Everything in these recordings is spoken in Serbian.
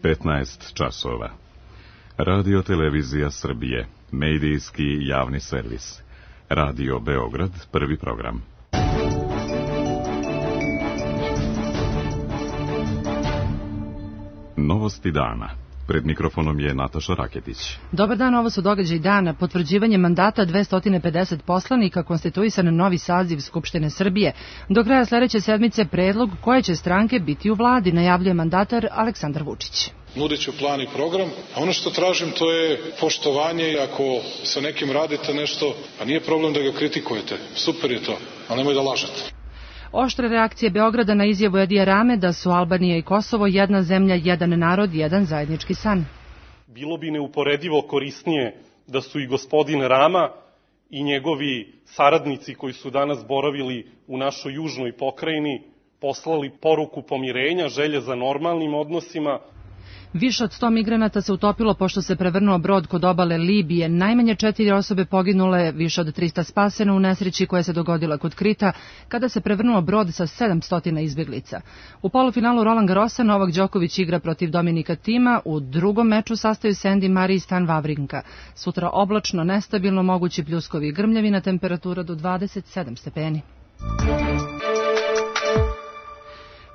15 časova. Radio Televizija Srbije, medijski javni servis. Radio Beograd, prvi program. Novosti dana. Pred mikrofonom je Nataša Raketić. Dobar dan, ovo su događaji dana. Potvrđivanje mandata 250 poslanika, konstituisan novi saziv Skupštine Srbije. Do kraja sledeće sedmice predlog koje će stranke biti u vladi, najavljuje mandatar Aleksandar Vučić. Nudit ću plan i program, a ono što tražim to je poštovanje. Ako sa nekim radite nešto, pa nije problem da ga kritikujete, super je to, ali nemoj da lažete. Oštre reakcije Beograda na izjavu Edija Rame da su Albanija i Kosovo jedna zemlja, jedan narod, jedan zajednički san. Bilo bi neuporedivo korisnije da su i gospodin Rama i njegovi saradnici koji su danas boravili u našoj južnoj pokrajini poslali poruku pomirenja, želje za normalnim odnosima. Više od 100 migranata se utopilo pošto se prevrnuo brod kod obale Libije. Najmanje 4 osobe poginule, više od 300 spaseno u nesreći koja se dogodila kod Krita, kada se prevrnuo brod sa 700 izbjeglica. U polufinalu Roland Garrosa Novak Đoković igra protiv Dominika Thima, u drugom meču sastaju se Andy Murray i Stan Wawrinka. Sutra oblačno, nestabilno, mogući pljuskovi i grmljavina, temperatura do 27 stepeni.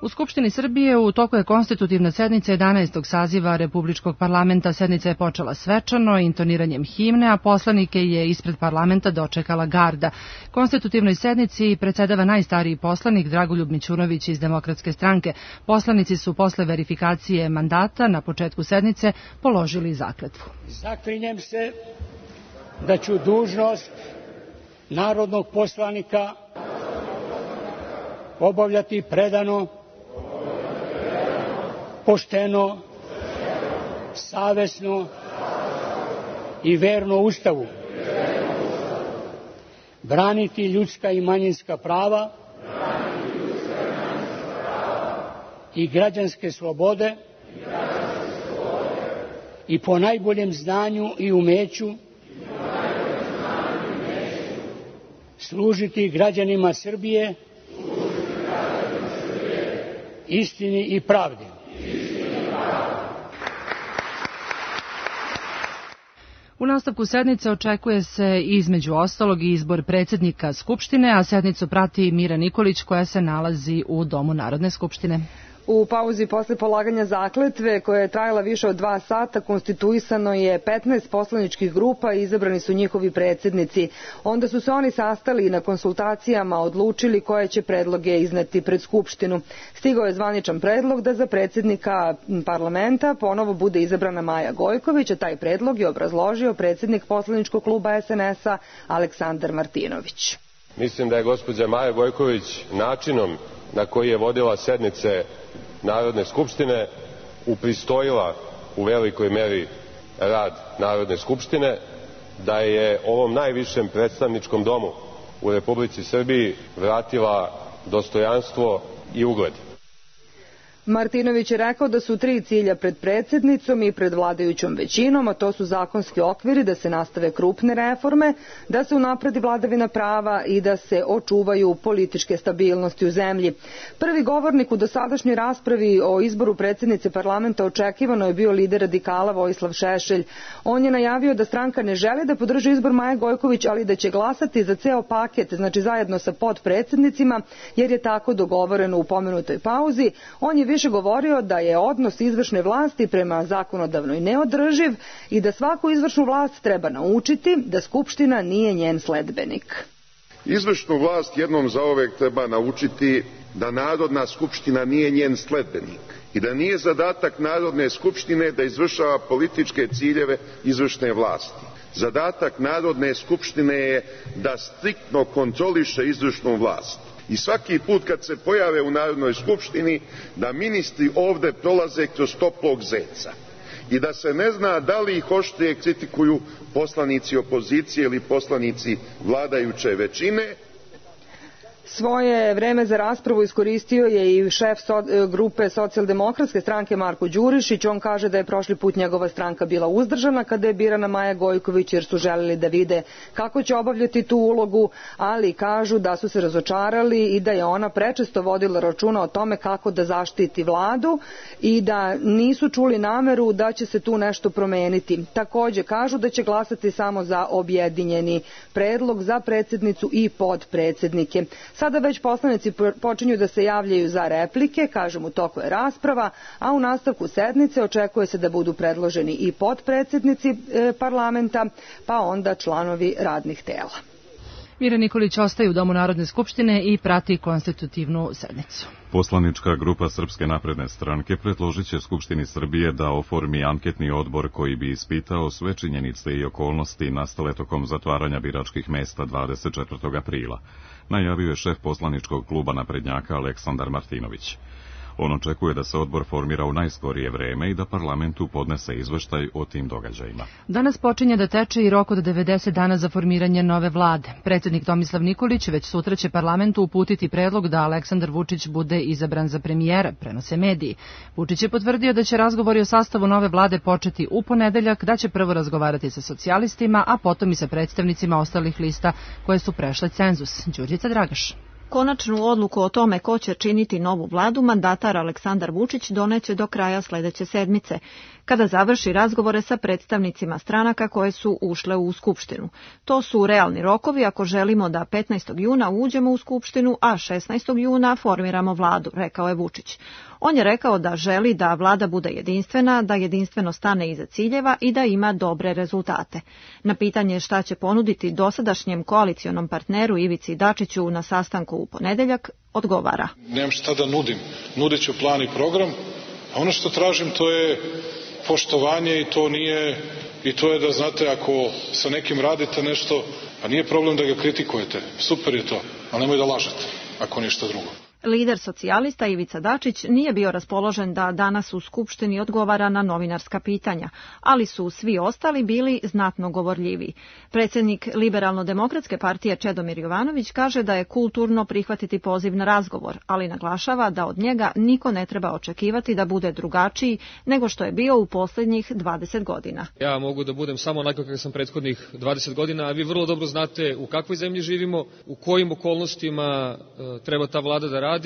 U Skupštini Srbije u toku je konstitutivna sednica 11. saziva Republičkog parlamenta. Sednica je počela svečano, intoniranjem himne, a poslanike je ispred parlamenta dočekala garda. Konstitutivnoj sednici predsedava najstariji poslanik Dragoljub Mićunović iz Demokratske stranke. Poslanici su posle verifikacije mandata na početku sednice položili zakletvu. Zaklinjem se da ću dužnost narodnog poslanika obavljati predano, pošteno, savesno i verno Ustavu, braniti ljudska i manjinska prava i građanske slobode i po najboljem znanju i umeću služiti građanima Srbije, istini i pravdi. U nastavku sednice očekuje se između ostalog i izbor predsjednika Skupštine, a sednicu prati Mira Nikolić koja se nalazi u Domu Narodne skupštine. U pauzi posle polaganja zakletve, koja je trajala više od 2 sata, konstituisano je 15 poslaničkih grupa i izabrani su njihovi predsjednici. Onda su se oni sastali i na konsultacijama odlučili koje će predloge izneti pred Skupštinu. Stigao je zvaničan predlog da za predsjednika parlamenta ponovo bude izabrana Maja Gojković, a taj predlog je obrazložio predsjednik poslaničkog kluba SNS-a Aleksandar Martinović. Mislim da je gospođa Maja Gojković načinom na koji je vodila sednice Narodne skupštine upristojila u velikoj meri rad Narodne skupštine, da je ovom najvišem predstavničkom domu u Republici Srbiji vratila dostojanstvo i ugled. Martinović je rekao da su 3 cilja pred predsjednicom i pred vladajućom većinom, a to su zakonski okviri, da se nastave krupne reforme, da se unapredi vladavina prava i da se očuvaju političke stabilnosti u zemlji. Prvi govornik u dosadašnjoj raspravi o izboru predsjednice parlamenta očekivano je bio lider radikala Vojislav Šešelj. On je najavio da stranka ne želi da podrži izbor Maje Gojković, ali da će glasati za ceo paket, znači zajedno sa potpredsjednicima, jer je tako dogovoreno u pomenutoj pauzi. On je više govorio da je odnos izvršne vlasti prema zakonodavnoj neodrživ i da svaku izvršnu vlast treba naučiti da Skupština nije njen sledbenik. Izvršnu vlast jednom zauvek treba naučiti da Narodna skupština nije njen sledbenik i da nije zadatak Narodne skupštine da izvršava političke ciljeve izvršne vlasti. Zadatak Narodne skupštine je da striktno kontroliše izvršnu vlast. I svaki put kad se pojave u Narodnoj skupštini da ministri ovde prolaze kroz toplog zeca i da se ne zna da li ih oštrije kritikuju poslanici opozicije ili poslanici vladajuće većine, Svoje vreme za raspravu iskoristio je i šef grupe socijaldemokratske stranke Marko Đurišić. On kaže da je prošli put njegova stranka bila uzdržana kada je birana Maja Gojković, jer su želeli da vide kako će obavljati tu ulogu, ali kažu da su se razočarali i da je ona prečesto vodila računa o tome kako da zaštiti vladu i da nisu čuli nameru da će se tu nešto promeniti. Takođe kažu da će glasati samo za objedinjeni predlog za predsednicu i podpredsednike. Sada već poslanici počinju da se javljaju za replike, kažem u toku je rasprava, a u nastavku sednice očekuje se da budu predloženi i podpredsednici parlamenta, pa onda članovi radnih tela. Mira Nikolić ostaje u Domu Narodne skupštine i prati konstitutivnu sednicu. Poslanička grupa Srpske napredne stranke predložit će Skupštini Srbije da oformi anketni odbor koji bi ispitao sve činjenice i okolnosti nastale tokom zatvaranja biračkih mesta 24. aprila, najavio je šef poslaničkog kluba naprednjaka Aleksandar Martinović. On očekuje da se odbor formira u najskorije vreme i da parlamentu podnese izveštaj o tim događajima. Danas počinje da teče i rok od 90 dana za formiranje nove vlade. Predsjednik Tomislav Nikolić već sutra će parlamentu uputiti predlog da Aleksandar Vučić bude izabran za premijera, prenose mediji. Vučić je potvrdio da će razgovori o sastavu nove vlade početi u ponedeljak, da će prvo razgovarati sa socijalistima, a potom i sa predstavnicima ostalih lista koje su prešle cenzus. Đurđica Dragaš. Konačnu odluku o tome ko će činiti novu vladu mandatar Aleksandar Vučić doneće do kraja sledeće sedmice, kada završi razgovore sa predstavnicima stranaka koje su ušle u Skupštinu. To su realni rokovi ako želimo da 15. juna uđemo u Skupštinu, a 16. juna formiramo vladu, rekao je Vučić. On je rekao da želi da vlada bude jedinstvena, da jedinstveno stane iza ciljeva i da ima dobre rezultate. Na pitanje šta će ponuditi dosadašnjem koalicionom partneru Ivici Dačiću na sastanku u ponedeljak, odgovara. Nemam šta da nudim. Nudit ću plan i program, a ono što tražim to je poštovanje i to je da znate ako sa nekim radite nešto, pa nije problem da ga kritikujete. Super je to, ali nemoj da lažete, ako ništa drugo. Lider socijalista Ivica Dačić nije bio raspoložen da danas u Skupštini odgovara na novinarska pitanja, ali su svi ostali bili znatno govorljiviji. Predsjednik Liberalno-demokratske partije Čedomir Jovanović kaže da je kulturno prihvatiti poziv na razgovor, ali naglašava da od njega niko ne treba očekivati da bude drugačiji nego što je bio u posljednjih 20 godina. Ja mogu da budem samo onako kako sam prethodnih 20 godina, a vi vrlo dobro znate u kakvoj zemlji živimo, u kojim okolnostima treba ta vlada da radi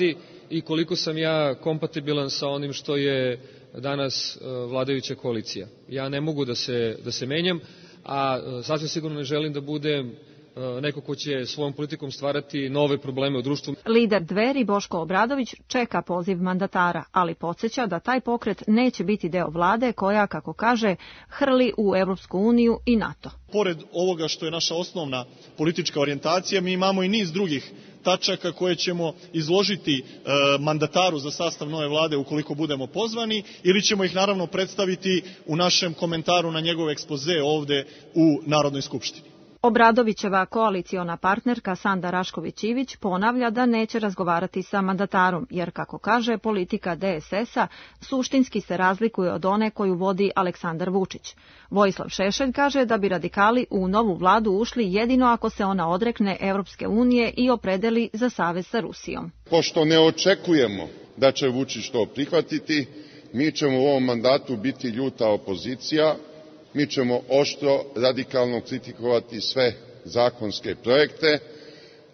i koliko sam ja kompatibilan sa onim što je danas vladajuća koalicija. Ja ne mogu da se menjam, a sasvim sigurno ne želim da budem neko ko će svojom politikom stvarati nove probleme u društvu. Lider Dveri Boško Obradović čeka poziv mandatara, ali podsjeća da taj pokret neće biti deo vlade koja, kako kaže, hrli u Evropsku uniju i NATO. Pored ovoga što je naša osnovna politička orijentacija, mi imamo i niz drugih tačaka koje ćemo izložiti mandataru za sastav nove vlade ukoliko budemo pozvani, ili ćemo ih naravno predstaviti u našem komentaru na njegov ekspoze ovde u Narodnoj skupštini. Obradovićeva koaliciona partnerka Sanda Rašković-Ivić ponavlja da neće razgovarati sa mandatarom, jer, kako kaže, politika DSS-a suštinski se razlikuje od one koju vodi Aleksandar Vučić. Vojislav Šešelj kaže da bi radikali u novu vladu ušli jedino ako se ona odrekne Evropske unije i opredeli za savez sa Rusijom. Pošto ne očekujemo da će Vučić to prihvatiti, mi ćemo u ovom mandatu biti ljuta opozicija. Mi ćemo oštro, radikalno kritikovati sve zakonske projekte.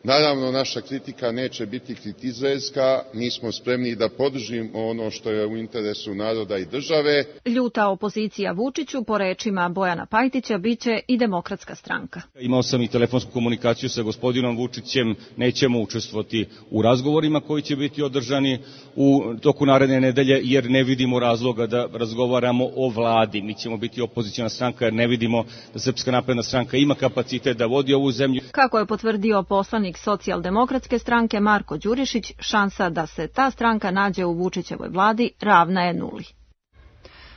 Naravno, naša kritika neće biti kritizerska, mi smo spremni da podržimo ono što je u interesu naroda i države. Ljuta opozicija Vučiću, po rečima Bojana Pajtića, biće i Demokratska stranka. Imao sam i telefonsku komunikaciju sa gospodinom Vučićem, nećemo učestvovati u razgovorima koji će biti održani u toku naredne nedelje, jer ne vidimo razloga da razgovaramo o vladi. Mi ćemo biti opoziciona stranka jer ne vidimo da Srpska napredna stranka ima kapacitet da vodi ovu zemlju. Kako je potvrdio poslanik Socijaldemokratske stranke Marko Đurišić, šansa da se ta stranka nađe u Vučićevoj vladi ravna je nuli.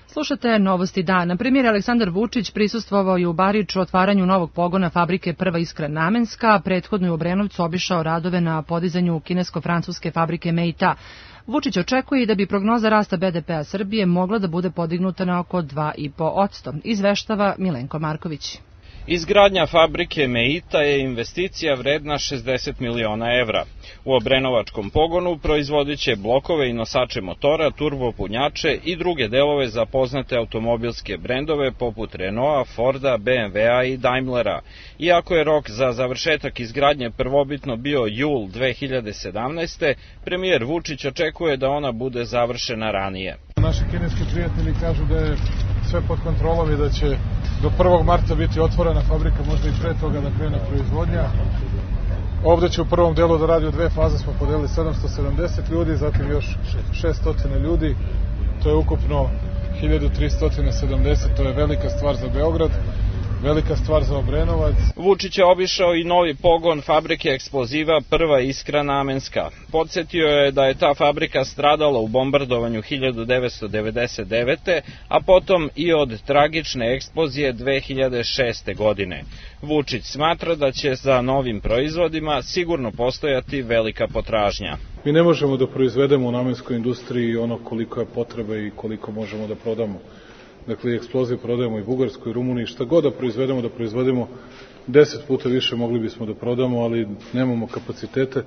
Slušate Novosti dana. Premijer Aleksandar Vučić prisustvovao je u Bariču otvaranju novog pogona fabrike Prva iskra namenska, prethodno je u Obrenovcu obišao radove na podizanju kinesko-francuske fabrike Meita. Vučić očekuje da bi prognoza rasta BDP-a Srbije mogla da bude podignuta na oko 2,5%, izveštava Milenko Marković. Izgradnja fabrike Meita je investicija vredna 60 miliona evra. U obrenovačkom pogonu proizvodit će blokove i nosače motora, turbopunjače i druge delove za poznate automobilske brendove poput Renaulta, Forda, BMW-a i Daimlera. Iako je rok za završetak izgradnje prvobitno bio jul 2017. premijer Vučić očekuje da ona bude završena ranije. Naši kineski prijatelji kažu da je sve pod kontrolom i da će do 1. marta biti otvorena fabrika, možda i pre toga da krene proizvodnja. Ovde će u prvom delu da radi u 2 faze, smo podelili 770 ljudi, zatim još 600 ljudi, to je ukupno 1370, to je velika stvar za Beograd, velika stvar za Obrenovac. Vučić je obišao i novi pogon fabrike eksploziva Prva Iskra Namenska. Podsjetio je da je ta fabrika stradala u bombardovanju 1999. a potom i od tragične eksplozije 2006. godine. Vučić smatra da će za novim proizvodima sigurno postojati velika potražnja. Mi ne možemo da proizvedemo u namenskoj industriji ono koliko je potrebe i koliko možemo da prodamo. Dakle, eksploziv prodajemo i Bugarskoj, i Rumuniji, šta god da proizvedemo 10 puta više mogli bismo da prodamo, ali nemamo kapacitete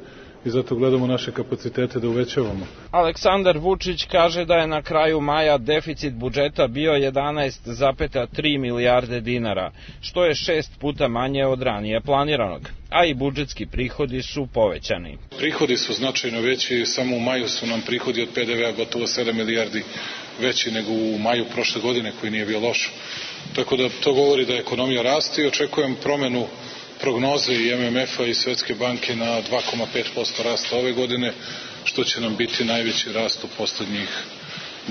i zato gledamo naše kapacitete da uvećavamo. Aleksandar Vučić kaže da je na kraju maja deficit budžeta bio 11,3 milijarde dinara, što je 6 puta manje od ranije planiranog, a i budžetski prihodi su povećani. Prihodi su značajno veći, samo u maju su nam prihodi od PDV-a gotovo 7 milijardi veći nego u maju prošle godine, koji nije bio loš. Tako da to govori da ekonomija raste i očekujem promenu prognoze i MMF-a i Svetske banke na 2,5% rasta ove godine, što će nam biti najveći rast u poslednjih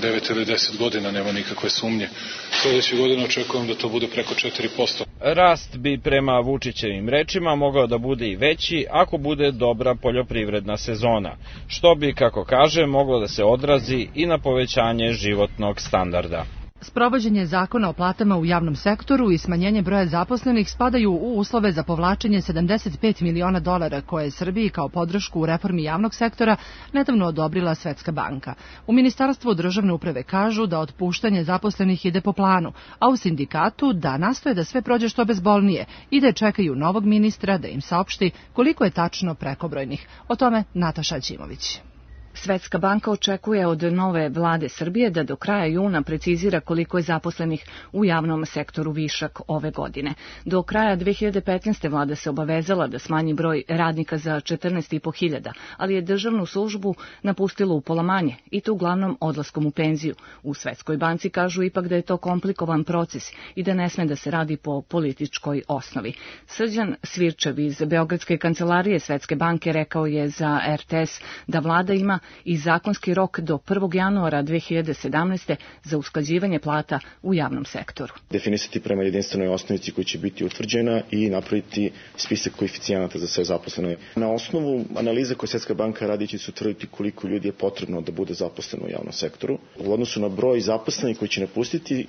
9 ili 10 godina, nema nikakve sumnje. Sledeće godine očekujem da to bude preko 4%. Rast bi prema Vučićevim rečima mogao da bude i veći ako bude dobra poljoprivredna sezona, što bi, kako kaže, moglo da se odrazi i na povećanje životnog standarda. Sprovođenje zakona o platama u javnom sektoru i smanjenje broja zaposlenih spadaju u uslove za povlačenje 75 miliona dolara koje je Srbiji kao podršku u reformi javnog sektora nedavno odobrila Svetska banka. U Ministarstvu državne uprave kažu da otpuštanje zaposlenih ide po planu, a u sindikatu da nastoje da sve prođe što bezbolnije i da čekaju novog ministra da im saopšti koliko je tačno prekobrojnih. O tome Nataša Ćimović. Svetska banka očekuje od nove vlade Srbije da do kraja juna precizira koliko je zaposlenih u javnom sektoru višak ove godine. Do kraja 2015. vlada se obavezala da smanji broj radnika za 14.500, ali je državnu službu napustilo upola manje i to uglavnom odlaskom u penziju. U Svetskoj banci kažu ipak da je to komplikovan proces i da ne sme da se radi po političkoj osnovi. Srđan Svirčev iz Beogradske kancelarije Svetske banke rekao je za RTS da vlada ima i zakonski rok do 1. januara 2017. za usklađivanje plata u javnom sektoru. Definisati prema jedinstvenoj osnovici koja će biti utvrđena i napraviti spisak koeficijenata za sve zaposlene. Na osnovu analize koje Svetska banka radi će se utvrditi koliko ljudi je potrebno da bude zaposleno u javnom sektoru. U odnosu na broj zaposlenih koji će napustiti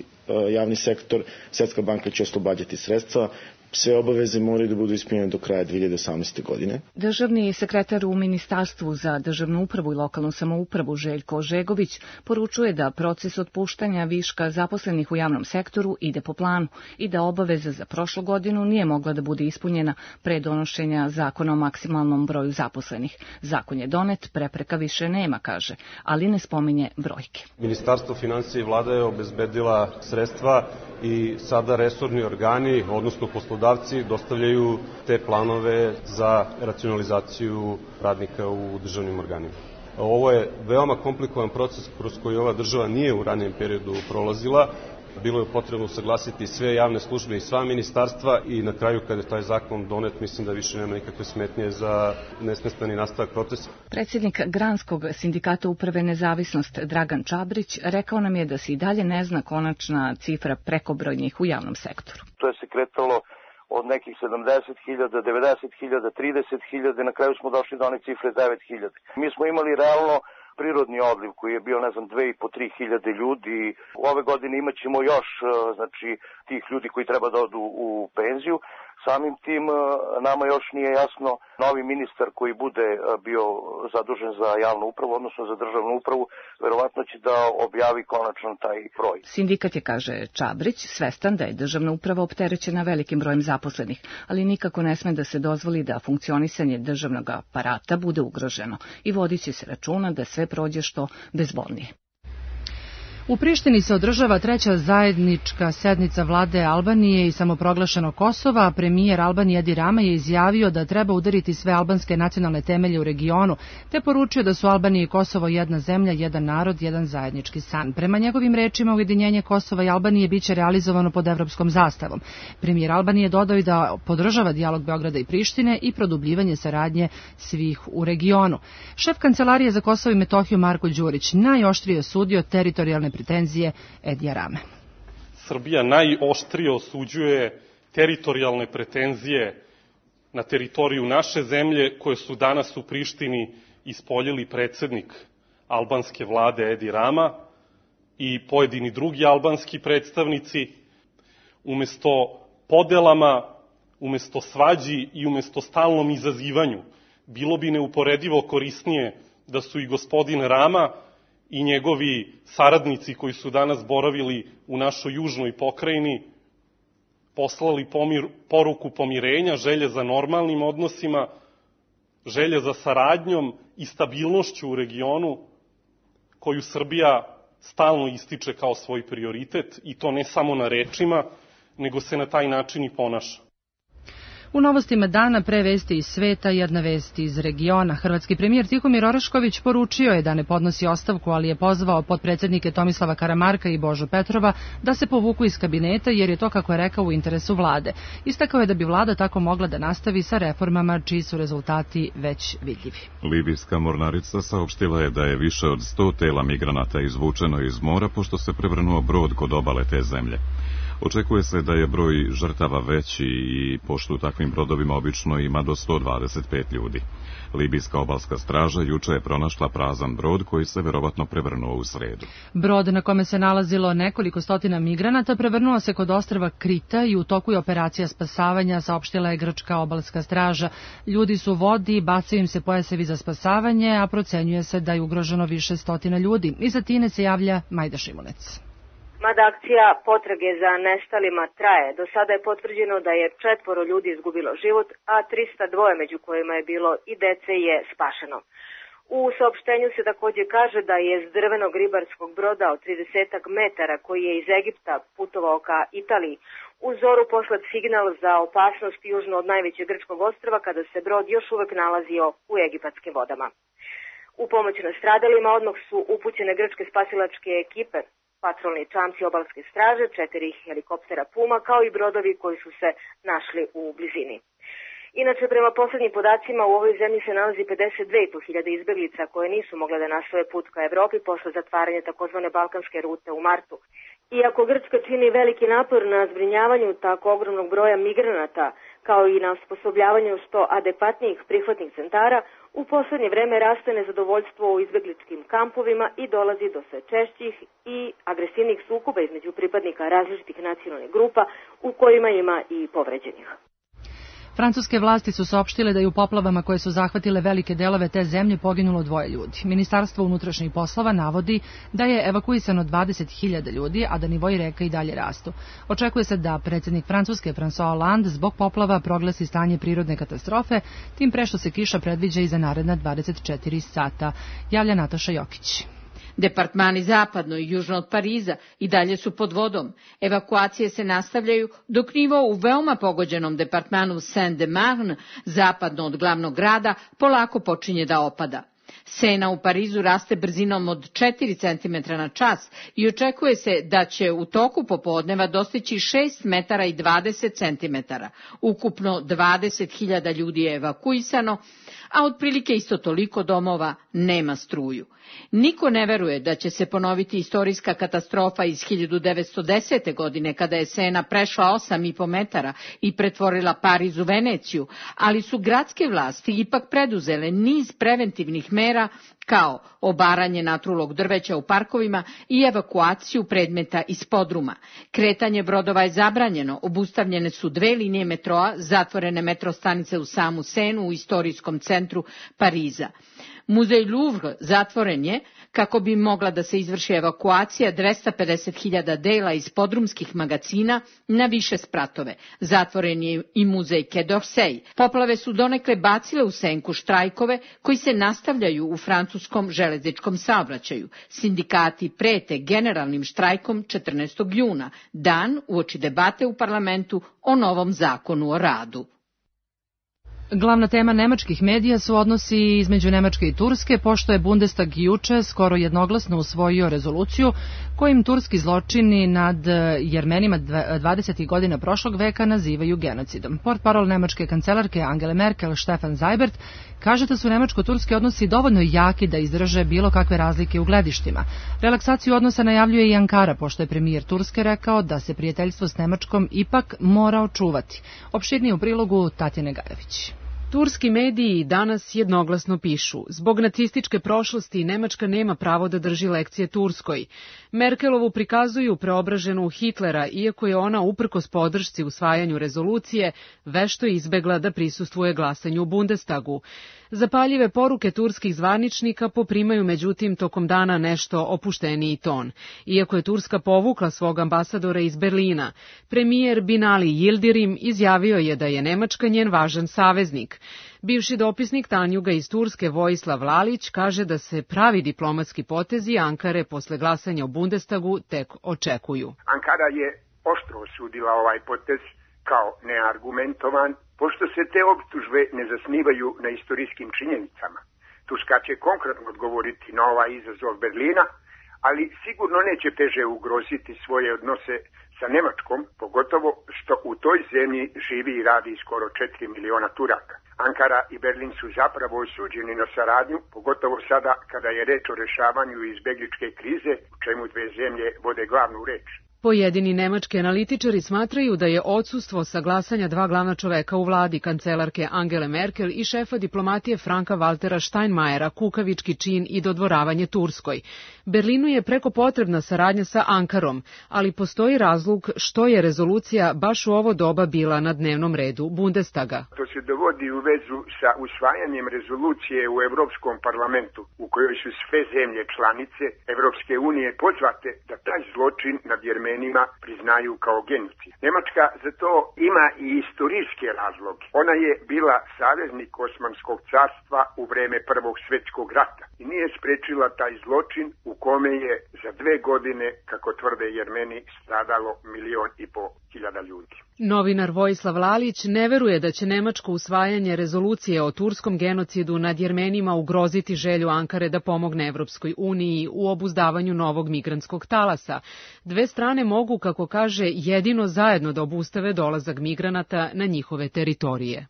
javni sektor, Svetska banka će oslobađati sredstva. Sve obaveze moraju da budu ispunjene do kraja 2018. godine. Državni sekretar u Ministarstvu za državnu upravu i lokalnu samoupravu Željko Žegović poručuje da proces otpuštanja viška zaposlenih u javnom sektoru ide po planu i da obaveza za prošlu godinu nije mogla da bude ispunjena pre donošenja zakona o maksimalnom broju zaposlenih. Zakon je donet, prepreka više nema, kaže, ali ne spominje brojke. Ministarstvo finansija i vlada je obezbedila sredstva i sada resorni organi, odnosno poslodavci, dostavljaju te planove za racionalizaciju radnika u državnim organima. Ovo je veoma komplikovan proces kroz koji ova država nije u ranijem periodu prolazila. Bilo je potrebno usaglasiti sve javne službe i sva ministarstva i na kraju kada je taj zakon donet, mislim da više nema nikakve smetnje za nesmetani nastavak procesa. Predsjednik Granskog sindikata uprave Nezavisnost Dragan Čabrić rekao nam je da se i dalje ne zna konačna cifra prekobrojnih u javnom sektoru. To je se kretalo od nekih 70.000, 90.000, 30.000, na kraju smo došli do one cifre 9.000. Mi smo imali realno prirodni odliv koji je bio, 2.500-3.000 ljudi. Ove godine imat ćemo još, tih ljudi koji treba da odu u penziju. Samim tim nama još nije jasno novi ministar koji bude bio zadužen za javnu upravu, odnosno za državnu upravu, verovatno će da objavi konačno taj broj. Sindikat je, kaže Čabrić, svestan da je državna uprava opterećena velikim brojem zaposlenih, ali nikako ne sme da se dozvoli da funkcionisanje državnog aparata bude ugroženo i vodit će se računa da sve prođe što bezbolnije. U Prištini se održava treća zajednička sednica vlade Albanije i samoproglašenog Kosova, a premijer Albanije Edi Rama je izjavio da treba udariti sve albanske nacionalne temelje u regionu, te poručio da su Albanija i Kosovo jedna zemlja, jedan narod, jedan zajednički san. Prema njegovim rečima, ujedinjenje Kosova i Albanije biće realizovano pod evropskom zastavom. Premijer Albanije dodao i da podržava dijalog Beograda i Prištine i produbljivanje saradnje svih u regionu. Šef Kancelarije za Kosovo i Metohiju Marko Đurić najoštrije osudio teritorijalne pretenzije Edija Rame. Srbija najoštrije osuđuje teritorijalne pretenzije na teritoriju naše zemlje koje su danas u Prištini ispoljili predsednik albanske vlade Edi Rama i pojedini drugi albanski predstavnici. Umesto podelama, umesto svađi i umesto stalnom izazivanju, bilo bi neuporedivo korisnije da su i gospodin Rama i njegovi saradnici koji su danas boravili u našoj južnoj pokrajini poslali poruku pomirenja, želje za normalnim odnosima, želje za saradnjom i stabilnošću u regionu koju Srbija stalno ističe kao svoj prioritet i to ne samo na rečima, nego se na taj način i ponaša. U novostima dana pre vesti iz sveta, jedna vest iz regiona. Hrvatski premijer Tihomir Orešković poručio je da ne podnosi ostavku, ali je pozvao potpredsednike Tomislava Karamarka i Božu Petrova da se povuku iz kabineta, jer je to, kako je rekao, u interesu vlade. Istakao je da bi vlada tako mogla da nastavi sa reformama čiji su rezultati već vidljivi. Libijska mornarica saopštila je da je više od 100 tela migranata izvučeno iz mora pošto se prevrnuo brod kod obale te zemlje. Očekuje se da je broj žrtava veći i pošto u takvim brodovima obično ima do 125 ljudi. Libijska obalska straža juče je pronašla prazan brod koji se verovatno prevrnuo u sredu. Brod na kome se nalazilo nekoliko stotina migranata prevrnuo se kod ostrva Krita i u toku je operacija spasavanja, saopštila je grčka obalska straža. Ljudi su u vodi, bacaju im se pojasevi za spasavanje, a procenjuje se da je ugroženo više stotina ljudi. Iz Atine se javlja Majda Šimunec. Mada akcija potrage za nestalima traje, do sada je potvrđeno da je 4 ljudi izgubilo život, a 302 među kojima je bilo i dece je spašeno. U saopštenju se takođe kaže da je s drvenog ribarskog broda od 30 metara koji je iz Egipta putovao ka Italiji u zoru poslat signal za opasnost južno od najvećeg grčkog ostrva kada se brod još uvek nalazio u egipatskim vodama. U pomoć nastradalima odmah su upućene grčke spasilačke ekipe, patrolni čamci obalske straže, 4 helikoptera Puma, kao i brodovi koji su se našli u blizini. Inače, prema poslednjim podacima, u ovoj zemlji se nalazi 52.500 izbeglica koje nisu mogle da nastave put ka Evropi posle zatvaranja takozvane balkanske rute u martu. Iako Grčka čini veliki napor na zbrinjavanju tako ogromnog broja migranata, kao i na osposobljavanju što adekvatnijih prihvatnih centara, u poslednje vreme raste nezadovoljstvo u izbegličkim kampovima i dolazi do sve češćih i agresivnih sukoba između pripadnika različitih nacionalnih grupa, u kojima ima i povređenih. Francuske vlasti su saopštile da je u poplavama koje su zahvatile velike delove te zemlje poginulo 2 ljudi. Ministarstvo unutrašnjih poslova navodi da je evakuisano 20.000 ljudi, a da nivoi reka i dalje rastu. Očekuje se da predsjednik Francuske François Hollande zbog poplava proglasi stanje prirodne katastrofe, tim pre što se kiša predviđa i za naredna 24 sata. Javlja Nataša Jokić. Departmani zapadno i južno od Pariza i dalje su pod vodom. Evakuacije se nastavljaju dok nivo u veoma pogođenom departmanu Seine-de-Marne, zapadno od glavnog grada, polako počinje da opada. Sena u Parizu raste brzinom od 4 cm na čas i očekuje se da će u toku popodneva dostići 6 metara i 20 cm. Ukupno 20.000 ljudi je evakuisano, a otprilike isto toliko domova nema struju. Niko ne veruje da će se ponoviti istorijska katastrofa iz 1910. godine kada je Sena prešla 8,5 metara i pretvorila Pariz u Veneciju, ali su gradske vlasti ipak preduzele niz preventivnih mera mera, kao obaranje natrulog drveća u parkovima i evakuaciju predmeta iz podruma. Kretanje brodova je zabranjeno, obustavljene su 2 linije metroa, zatvorene metro stanice u samu Senu u istorijskom centru Pariza. Muzej Louvre zatvoren je kako bi mogla da se izvrši evakuacija 250.000 dela iz podrumskih magacina na više spratove. Zatvoren je i muzej Quai d'Orsay. Poplave su donekle bacile u senku štrajkove koji se nastavljaju u francuskom železničkom saobraćaju. Sindikati prete generalnim štrajkom 14. juna, dan uoči debate u parlamentu o novom zakonu o radu. Glavna tema nemačkih medija su odnosi između Nemačke i Turske, pošto je Bundestag juče skoro jednoglasno usvojio rezoluciju kojim turski zločini nad Jermenima 20. godina prošlog veka nazivaju genocidom. Portparol nemačke kancelarke Angele Merkel, Stefan Seibert, kaže da su nemačko-turski odnosi dovoljno jaki da izdrže bilo kakve razlike u gledištima. Relaksaciju odnosa najavljuje i Ankara, pošto je premijer Turske rekao da se prijateljstvo s Nemačkom ipak mora očuvati. Opširnije u prilogu Tatjane Gajević. Turski mediji danas jednoglasno pišu: zbog nacističke prošlosti Nemačka nema pravo da drži lekcije Turskoj. Merkelovu prikazuju preobraženu u Hitlera, iako je ona uprkos podršci usvajanju rezolucije vešto izbegla da prisustvuje glasanju u Bundestagu. Zapaljive poruke turskih zvaničnika poprimaju međutim tokom dana nešto opušteniji ton. Iako je Turska povukla svog ambasadora iz Berlina, premijer Binali Yildirim izjavio je da je Nemačka njen važan saveznik. Bivši dopisnik Tanjuga iz Turske Vojislav Lalić kaže da se pravi diplomatski potezi Ankare posle glasanja u Bundestagu tek očekuju. Ankara je oštro osudila ovaj potez kao neargumentovan, pošto se te optužbe ne zasnivaju na istorijskim činjenicama. Turska će konkretno odgovoriti na ovaj izazov Berlina, ali sigurno neće teže ugroziti svoje odnose sa Nemačkom, pogotovo što u toj zemlji živi i radi skoro 4 miliona Turaka. Ankara i Berlin su zapravo osuđeni na saradnju, pogotovo sada kada je reč o rešavanju izbegličke krize, u čemu dve zemlje vode glavnu reč. Pojedini nemački analitičari smatraju da je odsustvo saglasanja dva glavna čoveka u vladi, kancelarke Angele Merkel i šefa diplomatije Franka Waltera Steinmeiera, kukavički čin i dodvoravanje Turskoj. Berlinu je preko potrebna saradnja sa Ankarom, ali postoji razlog što je rezolucija baš u ovo doba bila na dnevnom redu Bundestaga. To se dovodi u vezu sa usvajanjem rezolucije u Evropskom parlamentu, u kojoj su sve zemlje članice Evropske unije pozvate da taj zločin nad Jermenima priznaju kao genocid. Nemačka za to ima i istorijske razloge. Ona je bila saveznik Osmanskog carstva u vreme Prvog svjetskog rata i nije sprečila taj zločin u kome je za 2 godine, kako tvrde Jermeni, stradalo 1.500.000 ljudi. Novinar Vojislav Lalić ne veruje da će nemačko usvajanje rezolucije o turskom genocidu nad Jermenima ugroziti želju Ankare da pomogne Evropskoj uniji u obuzdavanju novog migrantskog talasa. Dve strane mogu, kako kaže, jedino zajedno da obustave dolazak migranata na njihove teritorije.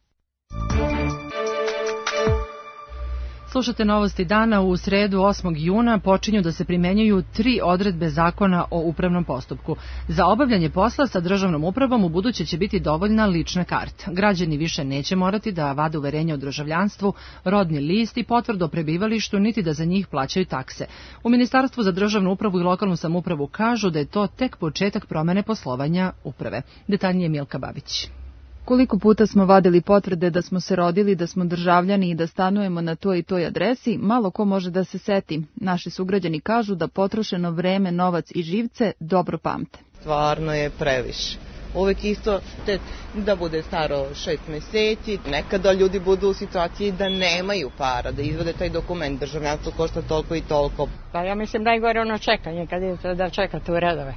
Slušate novosti dana. U sredu 8. juna počinju da se primenjuju 3 odredbe zakona o upravnom postupku. Za obavljanje posla sa državnom upravom u buduće će biti dovoljna lična karta. Građani više neće morati da vade uverenje o državljanstvu, rodni list i potvrdu o prebivalištu, niti da za njih plaćaju takse. U Ministarstvu za državnu upravu i lokalnu samoupravu kažu da je to tek početak promene poslovanja uprave. Detaljnije Milka Babić. Koliko puta smo vadili potvrde da smo se rodili, da smo državljani i da stanujemo na toj i toj adresi, malo ko može da se seti. Naši sugrađani kažu da potrošeno vreme, novac i živce dobro pamte. Stvarno je previše. Uvijek isto da bude staro 6 meseci. Nekada ljudi budu u situaciji da nemaju para, da izvode taj dokument. Državljanstvo košta toliko i toliko. Pa ja mislim najgore ono čekanje, kad idete da čekate u redove.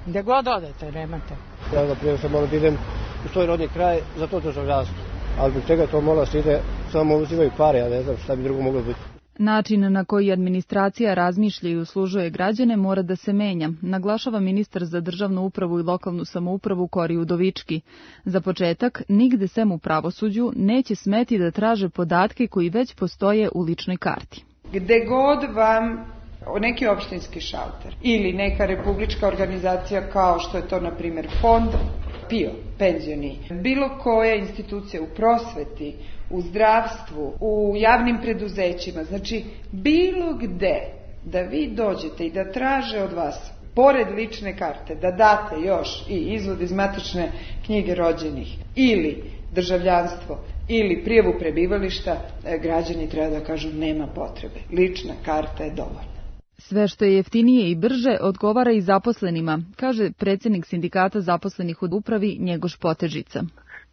Gde god odete, nemate. Ja na primjer sam morao da idem u svoj rodni kraj za to državljanstvo. Ali zbog čega to mora se ide, samo uzimaju pare, ja ne znam šta bi drugo moglo biti. Način na koji administracija razmišlja i uslužuje građane mora da se menja, naglašava ministar za državnu upravu i lokalnu samoupravu Kori Udovički. Za početak, nigde sem u pravosuđu neće smeti da traže podatke koji već postoje u ličnoj karti. Gde god vam neki opštinski šalter ili neka republička organizacija kao što je to, na primjer, fond, PIO, penzioni, bilo koja institucija u prosveti, u zdravstvu, u javnim preduzećima, znači bilo gde da vi dođete i da traže od vas, pored lične karte, da date još i izvod iz matične knjige rođenih ili državljanstvo ili prijavu prebivališta, građani treba da kažu nema potrebe. Lična karta je dovoljna. Sve što je jeftinije i brže odgovara i zaposlenima, kaže predsjednik sindikata zaposlenih u upravi Njegoš Potežica.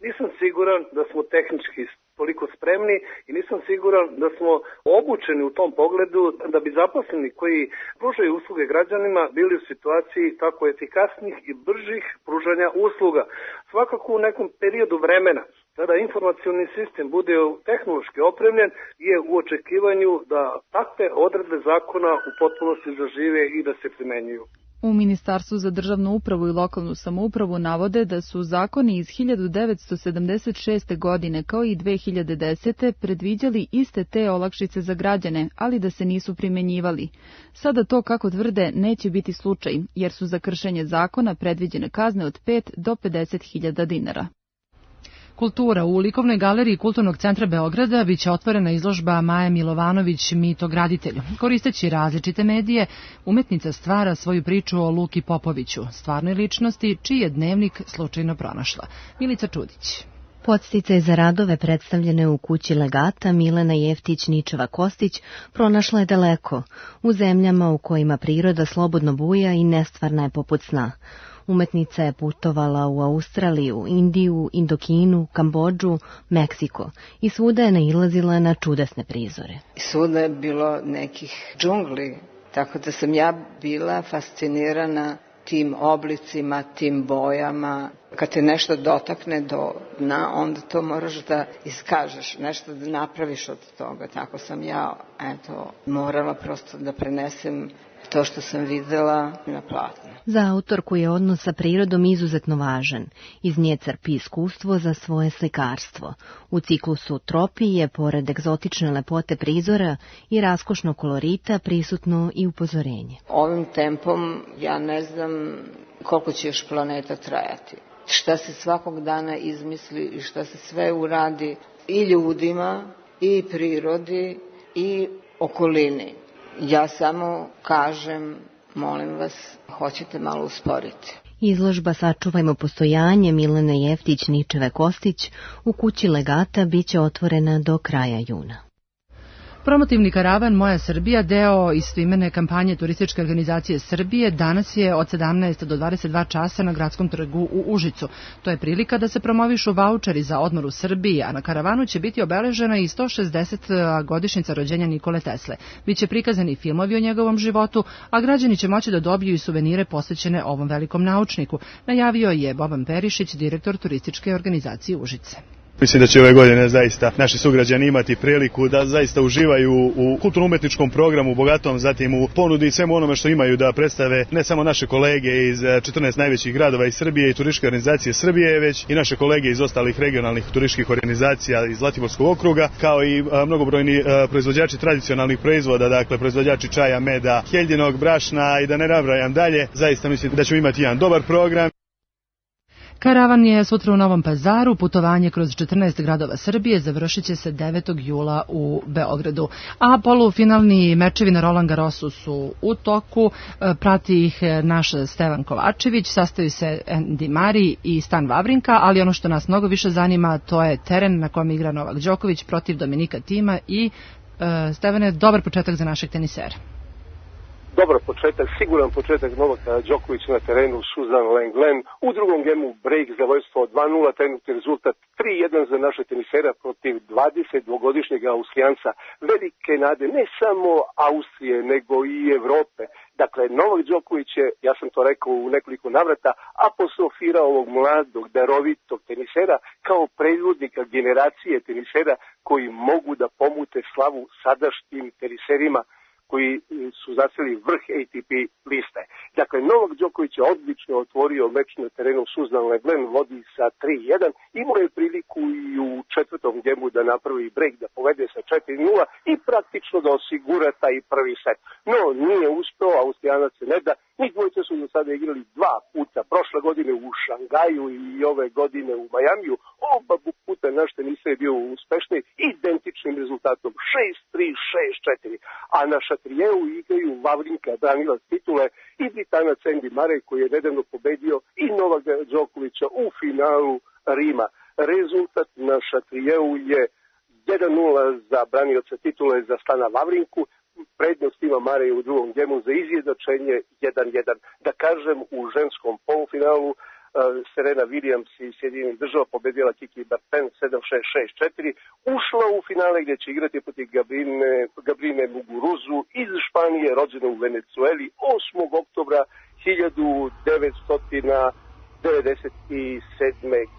Nisam siguran da smo tehnički toliko spremni i nisam siguran da smo obučeni u tom pogledu da bi zaposleni koji pružaju usluge građanima bili u situaciji tako efikasnih i bržih pružanja usluga. Svakako u nekom periodu vremena, kada informacioni sistem bude tehnološki opremljen, je u očekivanju da takve odredbe zakona u potpunosti zažive i da se primenjuju. U Ministarstvu za državnu upravu i lokalnu samoupravu navode da su zakoni iz 1976. godine kao i 2010. predviđali iste te olakšice za građane, ali da se nisu primenjivali. Sada to, kako tvrde, neće biti slučaj, jer su za kršenje zakona predviđene kazne od 5 do 50.000 dinara. Kultura. U likovnoj galeriji Kulturnog centra Beograda biće otvorena izložba Maje Milovanović Mitograditelj. Koristeći različite medije, umetnica stvara svoju priču o Luki Popoviću, stvarnoj ličnosti čiji je dnevnik slučajno pronašla. Milica Čudić. Podsticaj za radove predstavljene u kući legata Milena Jeftić-Ničeva-Kostić pronašla je daleko, u zemljama u kojima priroda slobodno buja i nestvarna je poput sna. Umetnica je putovala u Australiju, Indiju, Indokinu, Kambodžu, Meksiko i svuda je nailazila na čudesne prizore. Svuda je bilo nekih džungli, tako da sam ja bila fascinirana tim oblicima, tim bojama. Kad te nešto dotakne do dna, onda to moraš da iskažeš, nešto da napraviš od toga. Tako sam ja, morala prosto da prenesem to što sam videla na platnu. Za autorku je odnos sa prirodom izuzetno važan. Iz nje crpi iskustvo za svoje slikarstvo. U ciklusu Tropij je, pored egzotične lepote prizora i raskošnog kolorita, prisutno i upozorenje. Ovim tempom ja ne znam koliko će još planeta trajati. Šta se svakog dana izmisli i šta se sve uradi i ljudima, i prirodi, i okolini. Ja samo kažem, molim vas, hoćete malo usporiti. Izložba Sačuvajmo postojanje Milene Jeftić-Ničeve-Kostić u kući legata biće otvorena do kraja juna. Promotivni karavan Moja Srbija, deo istoimene kampanje Turističke organizacije Srbije, danas je od 17 do 22 časa na Gradskom trgu u Užicu. To je prilika da se promovišu vaučeri za odmor u Srbiji, a na karavanu će biti obeležena i 160. godišnjica rođenja Nikole Tesle. Biće prikazani filmovi o njegovom životu, a građani će moći da dobiju i suvenire posvećene ovom velikom naučniku, najavio je Boban Perišić, direktor Turističke organizacije Užice. Mislim da će ove godine zaista naši sugrađani imati priliku da zaista uživaju u kulturno-umetničkom programu bogatom, zatim u ponudi i svemu onome što imaju da predstave ne samo naše kolege iz 14 najvećih gradova iz Srbije i Turističke organizacije Srbije, već i naše kolege iz ostalih regionalnih turističkih organizacija iz Zlatiborskog okruga, kao i mnogobrojni proizvođači tradicionalnih proizvoda, dakle proizvođači čaja, meda, heljinog, brašna i da ne nabrajam dalje. Zaista mislim da ćemo imati jedan dobar program. Karavan je sutra u Novom Pazaru, putovanje kroz 14 gradova Srbije završit će se 9. jula u Beogradu. A polufinalni mečevi na Roland Garrosu su u toku, prati ih naš Stevan Kovačević, sastaju se Andy Murray i Stan Wawrinka, ali ono što nas mnogo više zanima to je teren na kojem igra Novak Đoković protiv Dominika Thima i Stevane, dobar početak za našeg tenisera. Dobar početak, siguran početak Novaka Đokovića na terenu Suzan Lenglen. U drugom gemu break za vojstvo 2-0, trenutni rezultat 3-1 za naše tenisera protiv 22-godišnjeg Austrijanca. Velike nade ne samo Austrije, nego i Evrope. Dakle, Novak Đoković je, ja sam to rekao u nekoliko navrata, apostrofirao ovog mladog, darovitog tenisera kao predvodnika generacije tenisera koji mogu da pomute slavu sadašnjim teniserima koji su zaseli vrh ATP liste. Dakle, Novak Đoković je odlično otvorio meč na terenu Susan Leglen, vodi sa 3-1, imao je priliku i u četvrtom gemu da napravi break, da povede sa 4-0 i praktično da osigura taj prvi set. No, nije uspeo, Austrijanac se ne da, njih dvojice su do sada igrali 2 puta, prošle godine u Šangaju i ove godine u Majamiju, oba puta naš tenis je bio uspešni, identičnim rezultatom 6-3, 6-4, a na Šatrijeu igraju Vavrinka, branilac titule, i Britanac Andy Murray koji je nedavno pobedio i Novaka Đokovića u finalu Rima. Rezultat na Šatrijeu je 1-0 za branioca titule za Stana Vavrinku, prednost ima Murray u drugom gemu za izjednačenje 1-1. Da kažem, u ženskom polufinalu Serena Williams iz Sjedinjenih Država pobedila Kiki Berten 7-6, 6-4, ušla u finale gdje će igrati protiv Gabrine Muguruzu iz Španije, rođena u Venecueli 8. oktobra 1997.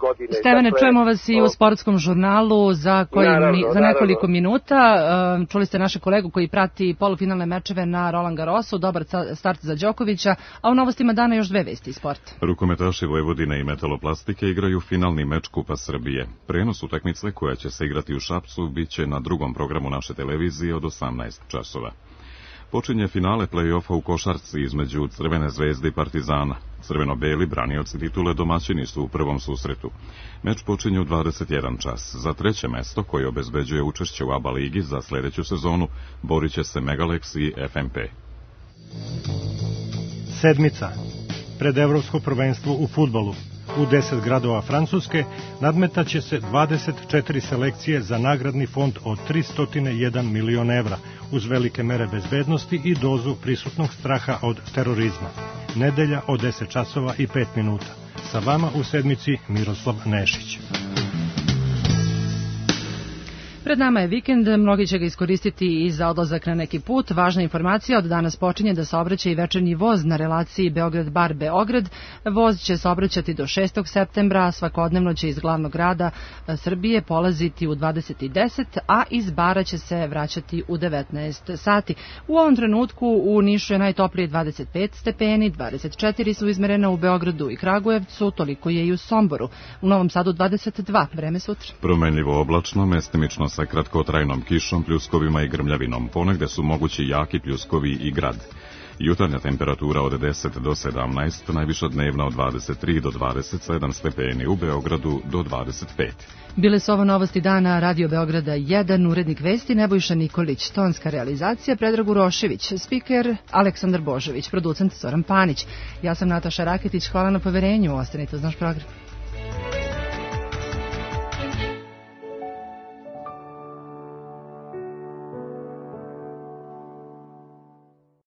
godine. Stevane, dakle, čujemo vas i u sportskom žurnalu za nekoliko minuta. Čuli ste naše kolegu koji prati polufinalne mečeve na Roland Garrosu, dobar start za Đokovića, a u novostima dana još 2 vesti iz sporta. Rukometaši Vojvodine i Metaloplastike igraju finalni meč Kupa Srbije. Prenos utakmice koja će se igrati u Šapcu biće na drugom programu naše televizije od 18 časova. Počinje finale play-offa u košarci između Crvene zvezde i Partizana. Crveno-beli branioci titule domaćini su u prvom susretu. Meč počinje u 21 čas. Za treće mesto, koje obezbeđuje učešće u ABA ligi za sljedeću sezonu, borit će se Megalex i FNP. Sedmica. Pred evropsko prvenstvo u fudbalu. U 10 gradova Francuske nadmetaće se 24 selekcije za nagradni fond od 301 milion evra, uz velike mere bezbednosti i dozu prisutnog straha od terorizma. Nedelja od 10 časova i 5 minuta. Sa vama u sedmici Miroslav Nešić. Pred nama je vikend, mnogi će ga iskoristiti i za odlazak na neki put. Važna informacija, od danas počinje da saobraća i večernji voz na relaciji Beograd-Bar Beograd. Voz će saobraćati do 6. septembra, svakodnevno će iz glavnog grada Srbije polaziti u 20:10, a iz Bara će se vraćati u 19 sati. U ovom trenutku u Nišu je najtoplije 25 stepeni, 24 su izmerena u Beogradu i Kragujevcu, toliko je i u Somboru. U Novom Sadu 22, vreme sutra. Promenljivo oblačno, mestimično sa kratkotrajnom kišom, pljuskovima i grmljavinom. Ponegde su mogući jaki pljuskovi i grad. Jutarnja temperatura od 10 do 17, najviša dnevna od 23 do 27 stepeni, u Beogradu do 25. Bile su ovo novosti dana Radio Beograda 1, urednik vesti Nebojša Nikolić, tonska realizacija Predrag Urošević, spiker Aleksandar Božović, producent Zoran Panić. Ja sam Nataša Raketić, hvala na poverenju, ostanite uz naš program.